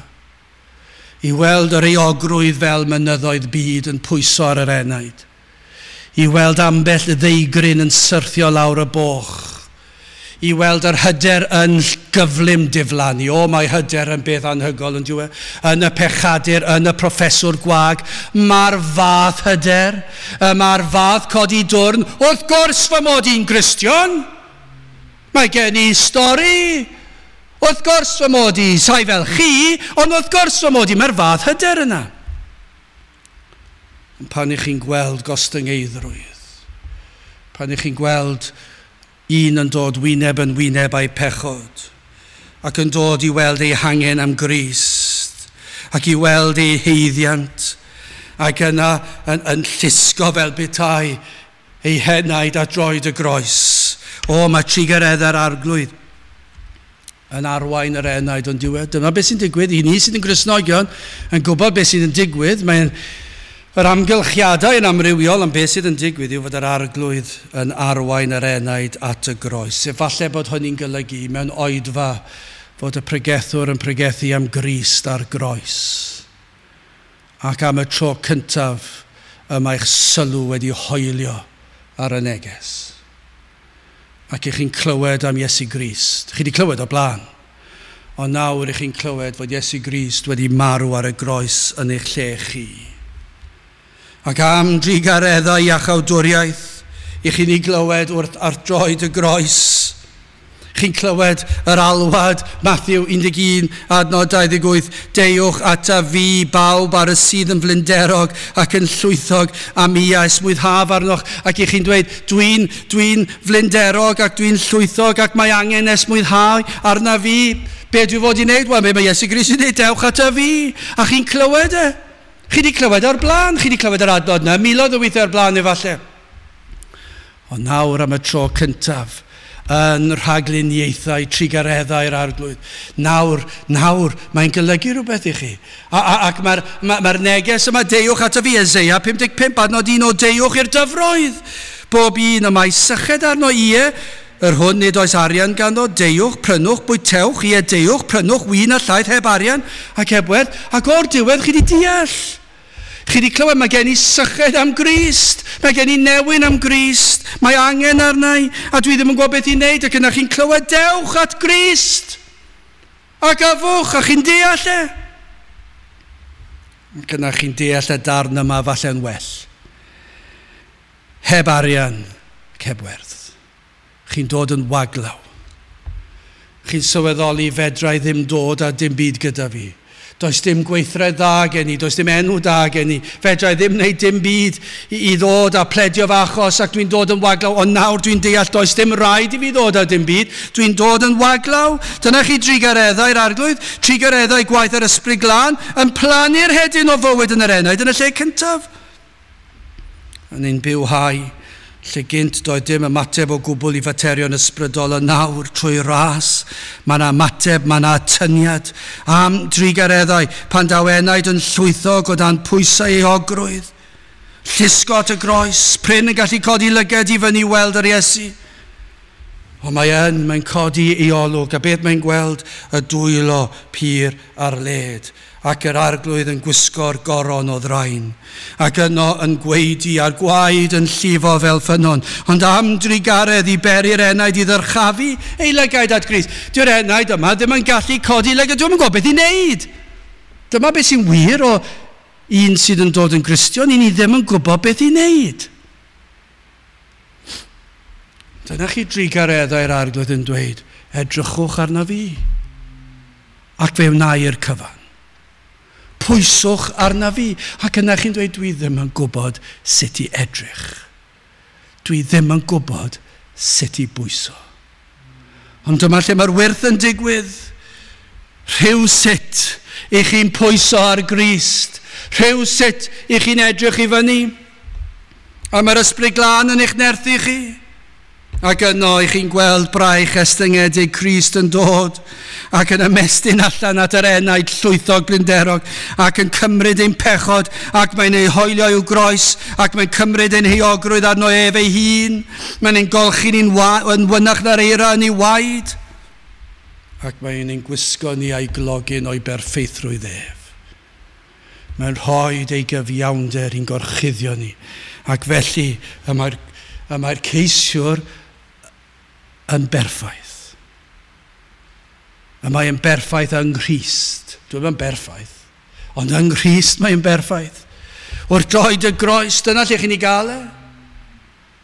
I weld yr euogrwydd fel mynyddoedd byd yn pwyso ar yr enaid. I weld ambell ddeigryn yn syrthio lawr y boch. I weld yr hyder yn gyflym diflannu. O, mae hyder yn beth anhygoel yn diwe. Yn y pechadur, yn y proffeswr gwag. Mae'r fath hyder, mae'r fath codi dwrn. Wrth gwrs fy mod i'n Gristion. Mae gen i stori. Wrth gwrs fy mod i, sai fel chi, ond wrth gwrs fy mod i, mae'r fath hyder yna. Ond pan i chi'n gweld gostyngeiddrwydd, pan i chi'n gweld un yn dod wyneb yn wyneb a'i pechod, ac yn dod i weld ei hangen am Grist, ac i weld ei haeddiant, ac yna yn, yn llusgo fel petai ei henaid at droed y groes. O, mae trugareddau'r Arglwydd yn arwain yr enaid ond diwedd. Dyma beth sy'n digwydd. I ni sydd yn Gristnogion yn gwybod beth sydd yn digwydd. Mae'n yr amgylchiadau yn amrywiol, ond beth sydd yn digwydd yw fod yr Arglwydd yn arwain yr enaid at y groes. Efallai bod hynny'n golygu mewn oedfa fod y pregethwr yn pregethu am Grist ar groes. Ac am y tro cyntaf y mae'ch sylw wedi hoelio ar y neges. Ac i chi'n clywed am Iesu Grist. Chi wedi clywed o blaen. Ond nawr i chi'n clywed fod Iesu Grist wedi marw ar y groes yn eich lle chi. Ac am drugareddau iachawdwriaeth, i chi'n ei glywed wrth ar droed y groes. Chi'n clywed yr alwad, Matthew un deg un, adnod dau ddeg wyth, deuwch ata fi bawb ar y sydd yn flinderog ac yn llwythog, a mi a esmwythaf arnoch. Ac i chi'n dweud, dwi'n dwi'n flinderog ac dwi'n llwythog ac mae angen esmwythau arna fi. Be dwi fod i wneud? Wel, be mae Iesu Grist yn dweud, dewch ata fi. A chi'n clywed e. Chi wedi clywed o'r blaen, chi wedi clywed yr adnod yna, miloedd o weithiau o'r blaen efallai. Ond nawr am y tro cyntaf, yn rhagluniaethau trugareddau'r Arglwydd. Nawr, nawr, mae'n golygu rhywbeth i chi. A, a, ac mae'r ma, ma neges yma, deuwch ata fi, Eseia pum deg pump, adnod un o deuwch i'r dyfroedd. Bob un y mae syched arno, ie, yr hwn nid oes arian ganddo, deuwch, prynwch, bwytewch, ie, deuwch, prynwch, win a llaeth heb arian ac heb werth. Ac o'r diwedd chi wedi deall. Chi wedi clywed, mae gen i syched am Grist, mae gen i newyn am Grist, mae angen arna i, a dwi ddim yn gwybod beth i wneud, ac yna chi'n clywed, dewch at Grist, ac afwch, a chi'n deall e. Ac yna chi'n deall y darn yma falle'n well. Heb arian, ac heb werth. Chi'n dod yn waglaw. Chi'n sylweddoli fedra i ddim dod a dim byd gyda fi. Does dim gweithred dda gen i, does dim enw da gen i. Fedra i ddim wneud dim byd i, i ddod a pledio fy achos ac dwi'n dod yn waglaw. Ond nawr dwi'n deall does dim rhaid i fi ddod a dim byd. Dwi'n dod yn waglaw. Dyna chi trugareddau'r Arglwydd, trugareddau gwaith yr Ysbryd Glân, yn plannu'r hedyn o fywyd yn yr enaid yn y lle cyntaf. Yn ein bywhau, lle gynt doedd dim ymateb o gwbl i faterion ysbrydol, y nawr trwy ras, mae yna ymateb, mae yna atyniad am drugareddau pan daw enaid yn llwythog o dan pwysau euogrwydd. Llusgo at y groes, prin yn gallu codi lyged i fyny weld yr Iesu. Ond mae yn, mae'n codi ei olwg, a beth mae'n gweld? Y dwylo pur ar led, ac yr Arglwydd yn gwisgo'r goron o ddrain, ac yno yn gweidi a'r gwaed yn llifo fel ffynnon, ond am drugaredd i beri'r enaid i ddyrchafu ei lygaid at Grist. Dyw'r enaid yma ddim yn gallu codi lygad, dwi'm yn gwybod beth i wneud. Dyma beth sy'n wir o un sydd yn dod yn Gristion, i ni ddim yn gwybod beth i wneud. Dyna chi drugareddau'r Arglwydd yn dweud, edrychwch arna fi, ac fe wna i'r cyfan. Pwyswch arna fi. Ac yna chi'n dweud, dwi ddim yn gwybod sut i edrych. Dwi ddim yn gwybod sut i bwyso. Ond dyma lle mae'r wyrth yn digwydd. Rhyw sut i chi'n pwyso ar Grist. Rhyw sut i chi'n edrych i fyny. A mae'r Ysbryd Glân yn eich nerthu chi. Ac yno i chi'n gweld braich estyngedig Crist yn dod ac yn ymestyn allan at yr enaid llwythog blinderog ac yn cymryd ein pechod ac mae'n ei hoelio i'w groes ac mae'n cymryd ein heuogrwydd arno ef ei hun. Mae'n ein golchi ni'n yn wynach na'r eira yn ei waed ac mae'n ein gwisgo ni a'i glogyn o'i berffeithrwydd ef. Mae'n rhoi ei gyfiawnder i'n gorchuddio ni ac felly y mae'r, y mae'r ceisiwr yn berffaith. Y mae yn berffaith yng Nghrist. Dwi'm yn berffaith, ond yng Nghrist mae'n berffaith. Wrth droed y groes, dyna lle chi'n ei gael e.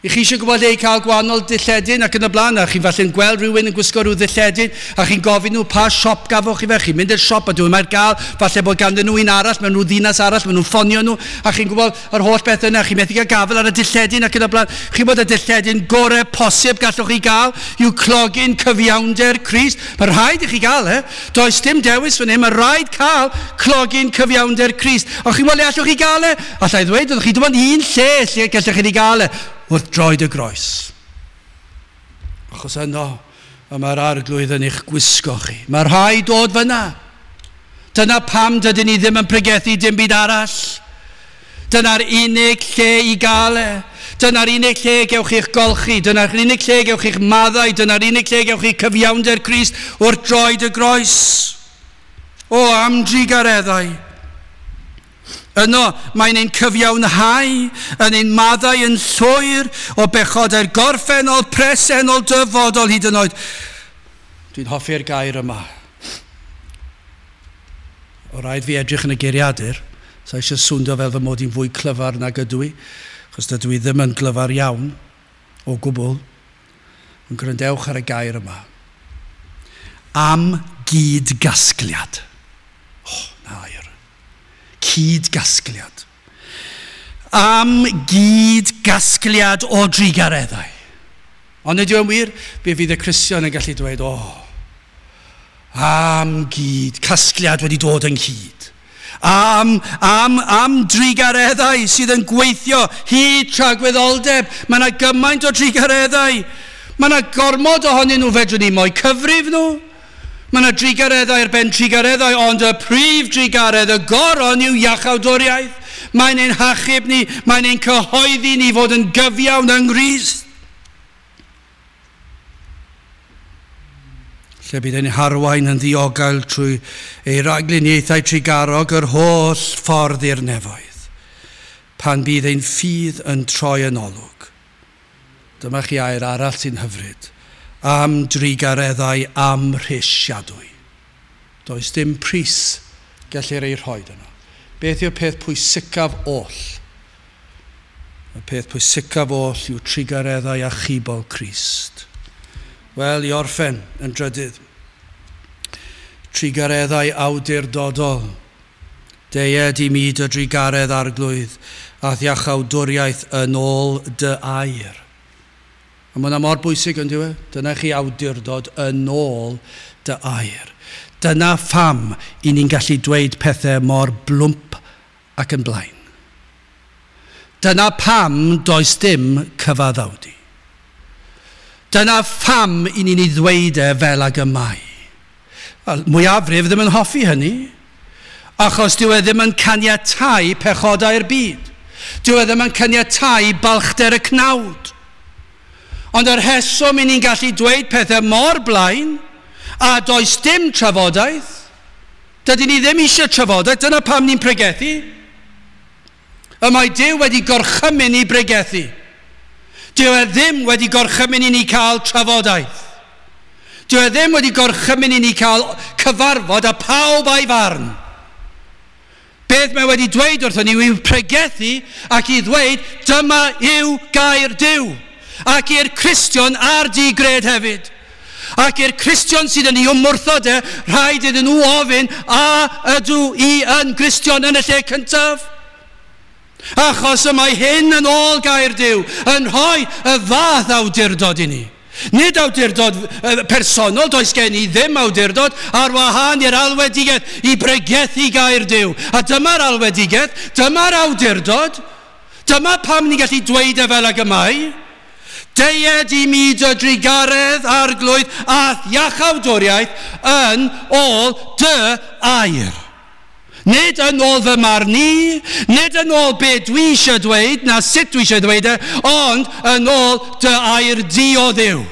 I chi eisiau gwybod lle i cael gwahanol dilledyn ac yn y blaen, a chi'n falle'n gweld rhywun yn gwisgo rhyw ddilledyn, a chi'n gofyn nhw pa siop gafoch chi fe, chi'n mynd i'r siop a dwi'n mae'r gael, falle bod ganddyn nhw un arall, mewn nhw ddinas arall, maen nhw'n ffonio nhw, a chi'n gwybod yr holl beth yna, chi'n methu cael gafel ar y dilledyn ac yn y blaen. Chi'n bod y dilledyn gorau posib gallwch chi gael yw clogyn cyfiawnder Crist. Mae rhaid i chi gael e. Does dim dewis fan hyn, mae rhaid cael clogyn cyfiawnder Crist. Ond chi'n gwybod le allwch chi gael e? Alla i ddweud, ydych chi dim ond un lle lle gallwch chi gael e. Wrth droed y groes. Achos yno, y mae'r Arglwydd yn eich gwisgo chi. Mae rhaid dod fyna. Dyna pam dydyn ni ddim yn pregethu dim byd arall. Dyna'r unig lle i gael e. Dyna'r unig lle gewch chi'ch golchi. Dyna'r unig lle gewch chi'ch maddau. Dyna'r unig lle gewch chi cyfiawnder Crist wrth droed y groes. O, am drugareddau. Yno, mae'n ein cyfiawnhau, yn ein maddau yn llwyr o bechodau'r gorffennol, presennol, dyfodol hyd yn oed. Dwi'n hoffi'r gair yma. O rhaid fi edrych yn y geiriadur, so eisiau swndio fel fy mod i'n fwy clyfar nag ydw i, achos dydw i ddim yn glyfar iawn o gwbl. Ond gwrandewch ar y gair yma. Am gyd-gasgliad. Oh, na air. Cyd-gasgliad. Am gyd-gasgliad o drugareddau. Ond ydy o'n wir, fe fydd y Cristion yn gallu dweud, o, oh, Am gyd, casgliad wedi dod ynghyd. Am, am, am drugareddau sydd yn gweithio hyd tragwyddoldeb. Mae yna gymaint o drugareddau. Mae yna gormod ohonyn nhw fedrwn ni mo'u cyfrif nhw. Mae yna drugareddau ar ben trugareddau, ond y prif drugaredd, y goron yw iachawdwriaeth. Mae'n ein hachub ni, mae'n ein cyhoeddi ni fod yn gyfiawn yng Nghrist. Lle bydd ein harwain yn ddiogel trwy ei ragluniaethau trugarog yr holl ffordd i'r nefoedd, pan bydd ein ffydd yn troi yn olwg. Dyma chi air arall sy'n hyfryd, am drugareddau amhrisiadwy. Does dim pris gellir ei rhoi yno. Beth yw'r peth pwysicaf oll? Y peth pwysicaf oll yw trugareddau achubol Crist. Wel, i orffen yn drydydd, trugareddau awdurdodol. Deued i mi dy drugaredd arglwydd, a iachawdwriaeth yn ôl dy air. A mae hwnna mor bwysig yn dyw e? Dyna chi awdurdod yn ôl dy air. Dyna pham i ni'n gallu dweud pethau mor blwmp ac yn blaen. Dyna pam does dim cyfaddawdu. Dyna pham i ni'n ei ddweud e fel ag y mae. Mwyafrif ddim yn hoffi hynny, achos dyw e ddim yn caniatáu pechodau'r byd. Dyw e ddim yn caniatáu balchder y cnawd. Ond yr rheswm i ni'n gallu dweud pethau mor blaen, a does dim trafodaeth, dydyn ni ddim eisiau trafodaeth, dyna pam ni'n pregethu. Y mae Duw wedi gorchymyn i bregethu. Dyw e ddim wedi gorchymyn i ni cael trafodaeth. Dyw e ddim wedi gorchymyn i ni cael cyfarfod a pawb a'i farn. Beth mae wedi dweud wrthon ni yw pregethu ac i ddweud dyma yw gair Duw. Ac i'r Cristion a'r digred hefyd. Ac i'r Cristion sydd yn ei ymwrthod e, rhaid iddyn nhw ofyn a ydw i yn Gristion yn y lle cyntaf? Achos y mae hyn yn ôl gair Duw, yn rhoi y fath awdurdod i ni. Nid awdurdod personol, does gen i ddim awdurdod, ar wahân i'r alwedigaeth i bregethu gair Duw. A dyma'r alwedigaeth, dyma'r awdurdod, dyma pam ni'n gallu dweud e fel ag y mae. Deued i mi dy drugaredd arglwydd a iachawdwriaeth yn ôl dy air. Nid yn ôl fy marn i, nid yn ôl be dwi eisiau dweud, na sut dwi eisiau dweud e, ond yn ôl dy air di o Dduw.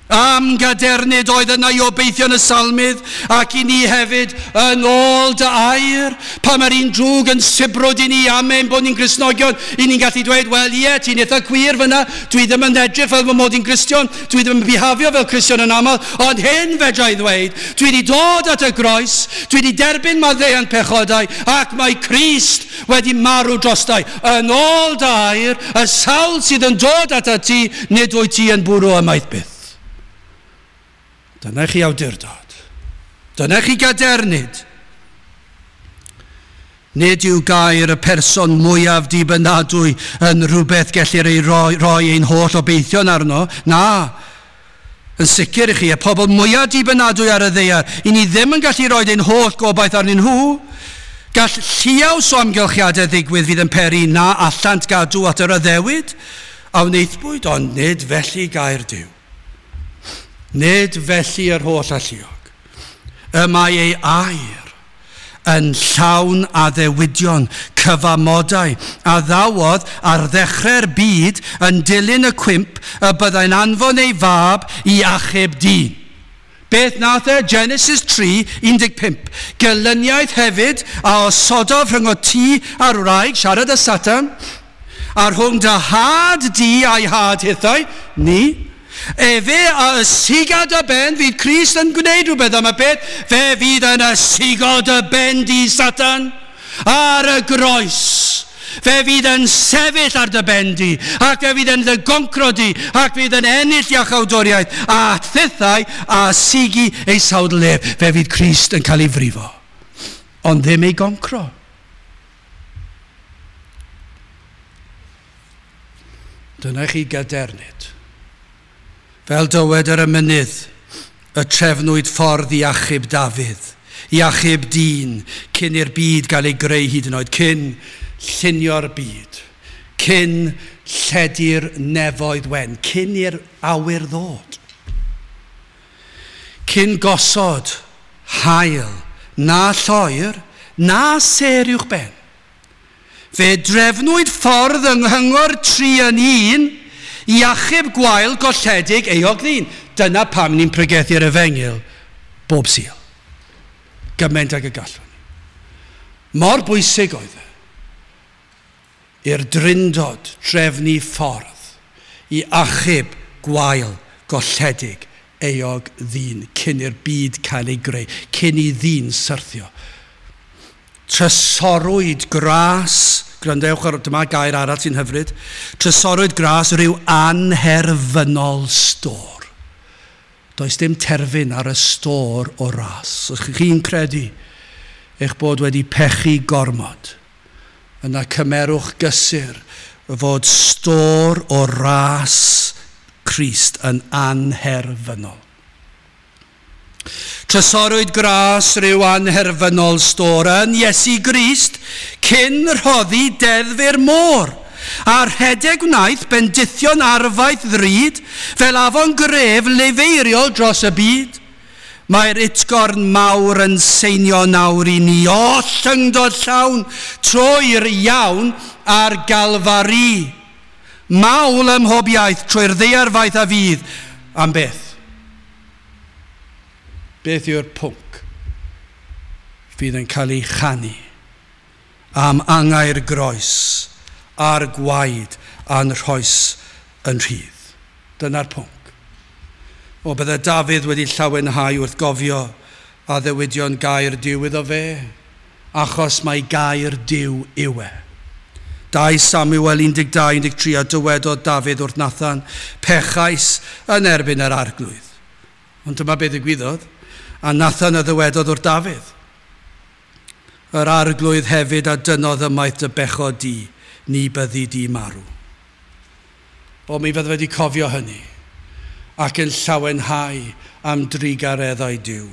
Am gadernid oedd yna i obeithion y salmydd, ac i ni hefyd yn ôl dy air. Pan mae'r un drwg yn sibrwd i ni am ein bod ni'n Gristnogion, i ni'n gallu dweud, wel ie, ti'n eitha gwir fyna, dwi ddim yn edrych fel fy mod i'n Gristion, dwi ddim yn bihafio fel Cristion yn aml, ond hyn fedra i ddweud, dwi wedi dod at y groes, dwi wedi derbyn maddeuant pechodau, ac mae Crist wedi marw drostai. Yn ôl dy air, y sawl sydd yn dod at ti, nid wyt ti yn bwrw ymaith byth. Dyna chi awdurdod. Dyna chi gadernid. Nid yw gair y person mwyaf dibynadwy yn rhywbeth gellir ei roi, roi ein holl obeithion arno. Na, yn sicr i chi, y pobl mwyaf dibynadwy ar y ddaear, i ni ddim yn gallu rhoi ein holl gobaith arnyn nhw. Gall lliaws o amgylchiadau ddigwydd fydd yn peri na allant gadw at yr addewid a wnaethpwyd, ond nid felly gair Duw. Nid felly yr holl alluog. Y mae ei air yn llawn addewidion, cyfamodau, a ddawodd ar ddechrau'r byd yn dilyn y cwymp y byddai'n anfon ei fab i achub dyn. Beth nath e? Genesis tri, un deg pump. Gelyniaeth hefyd a osododd rhwng ti a'r wraig, siarad â Satan, a rhwng dy had di a'i had hithau, ni. Efe a ysiga dy ben, fydd Crist yn gwneud rhywbeth am y peth, fe fydd yn ysigo dy ben di Satan ar y groes. Fe fydd yn sefyll ar dy ben di, ac fe fydd yn dy goncro di, ac fydd yn ennill iachawdwriaeth, a thithau a sigi ei sawdl ef. Fe fydd Crist yn cael ei frifo, ond ddim ei goncro. Dyna chi gadernid. Fel dywed yr emynydd, Y trefnwyd ffordd i achub Dafydd, i achub dyn, cyn i'r byd gael ei greu hyd yn oed, cyn llunio'r byd, cyn lledu'r nefoedd wen, cyn i'r awyr ddod. Cyn gosod haul, na lloer, na sêr uwch ben. Fe drefnwyd ffordd yng nghyngor tri yn un i achub gwael golledig euog ddyn. Dyna pam ni'n pregethu'r efengyl bob Sul. Gymaint ag y gallwn. Mor bwysig oedd e i'r Drindod drefnu ffordd i achub gwael golledig euog ddyn cyn i'r byd cael ei greu, cyn i ddyn syrthio. Trysorwyd gras, gwrandewch ar, dyma gair arall sy'n hyfryd, trysorwyd gras rhyw anherfynol stôr. Does dim terfyn ar y stôr o ras. Os chi'n credu eich bod wedi pechu gormod, yna cymerwch gysur fod stôr o ras Crist yn anherfynol. Trysorwyd gras rhyw anherfynol stôr yn Iesu Grist cyn rhoddi deddf i'r môr. A rhedeg wnaeth bendithion arfaeth ddrud fel afon gref lefeiriol dros y byd. Mae'r utgorn mawr yn seinio nawr i ni oll yngdod llawn trwy'r iawn ar Galfari. Mawl ym mhob iaith trwy'r ddaear faith a fydd. Am beth? Beth yw'r pwnc fydd yn cael ei chanu am angau'r groes a'r gwaed a'n rhoes yn rhydd? Dyna'r pwnc. O, bydde Dafydd wedi llawenhau wrth gofio addewidion gair Duw iddo fe, achos mae gair Duw yw e. Dau Samuel un deg dau un deg tri a dywedodd Dafydd wrth Nathan, pechais yn erbyn yr arglwydd. Ond dyma beth ddigwyddodd, a Nathan a ddywedodd wrth Dafydd. Yr arglwydd hefyd a dynodd ymaith dy bechod di, ni byddi di marw. O, mi fydde wedi cofio hynny, ac yn llawenhau am drugareddau Duw.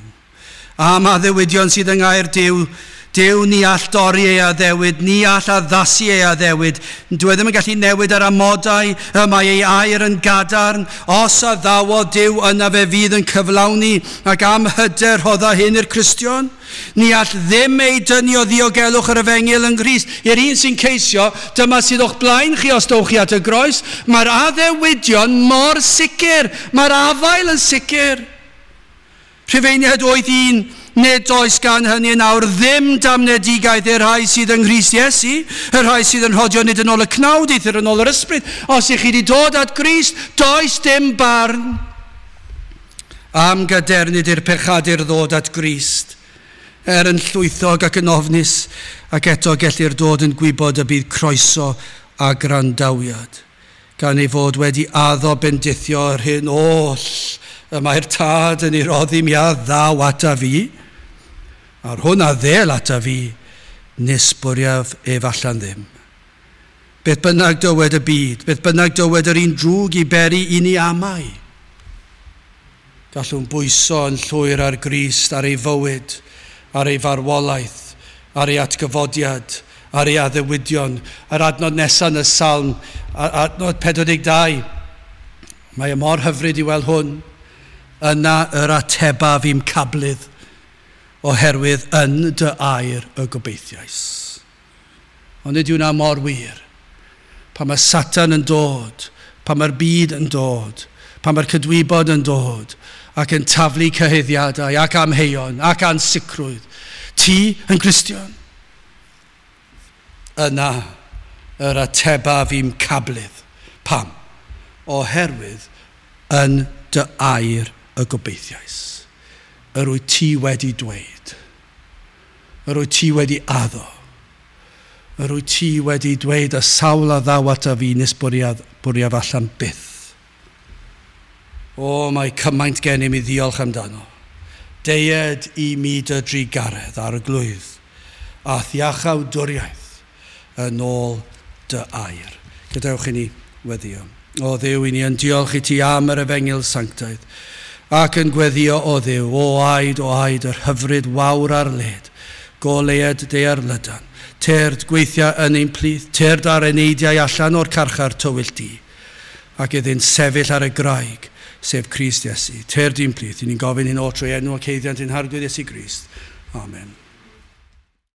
Am addewidion sydd yng ngair Duw, Duw ni all dorri ei addewid, ni all addasu ei addewid. Dyw e ddim yn gallu newid yr amodau, y mae ei air yn gadarn. Os addawodd Duw, yna fe fydd yn cyflawni, ac am hyder rhodda hyn i'r Cristion. Ni all ddim ei dynnu o ddiogelwch yr efengyl yng Nghrist. I'r un sy'n ceisio, dyma sydd o'ch blaen chi os dowch chi at y groes. Mae'r addewidion mor sicr, mae'r afael yn sicr. Rhufeiniaid wyth un, nid oes gan hynny yn awr ddim damnedigaeth i'r rhai sydd yng Nghrist Iesu, y rhai sydd yn rhodio nid yn ôl y cnawd, eithr yn ôl yr ysbryd. Os ych chi wedi dod at Grist, does dim barn. Am gadernid i'r pechadur ddod at Grist, er yn llwythog ac yn ofnus, ac eto gellir dod yn gwybod y bydd croeso a grandawiad, gan ei fod wedi addo bendithio yr hyn oll y mae'r tad yn ei roddi mi a ddaw ata fi, a'r hwn a ddel ata fi, nis bwriaf ef allan ddim. Beth bynnag dywed y byd, beth bynnag dywed yr un drwg i beri i ni amau. Gallwn bwyso yn llwyr ar Grist, ar ei fywyd, ar ei farwolaeth, ar ei atgyfodiad, ar ei addewidion. Yr adnod nesaf yn y salm, adnod pedwar deg dau. Mae e mor hyfryd i weld hwn. Yna yr atebaf i'm cablydd, oherwydd yn dy air y gobeithiais. Ond nid yw hwnna mor wir. Pan mae Satan yn dod, pan mae'r byd yn dod, pan mae'r cydwybod yn dod, ac yn taflu cyhuddiadau, ac amheuon, ac ansicrwydd. Ti yn Gristion? Yna yr atebaf i'm cablydd. Pam? Oherwydd yn dy air y gobeithiais. Yr wyt ti wedi dweud. Yr wyt ti wedi addo. Yr wyt ti wedi dweud y sawl a ddaw ata fi nes bwriaf, bwriaf allan byth. O, mae cymaint gennym i ddiolch amdano. Deued i mi dy drugaredd arglwydd, a thiachawdwriaeth yn ôl dy air. Gadewch i ni weddio. O Dduw, i ni yn diolch i ti am yr efengyl sanctaidd, Ac yn gweddio o Dduw, o aed, o aed, yr hyfryd wawr ar led, goleued daear lydan, tyrd gweithia yn ein plith, tyrd â'r eneidiau allan o'r carchar tywyll du, ac iddynt sefyll ar y graig, sef Crist Iesu. Tyrd i'n plith, i ni'n gofyn hyn oll trwy enw ac haeddiant ein Harglwydd Iesu Grist. Amen.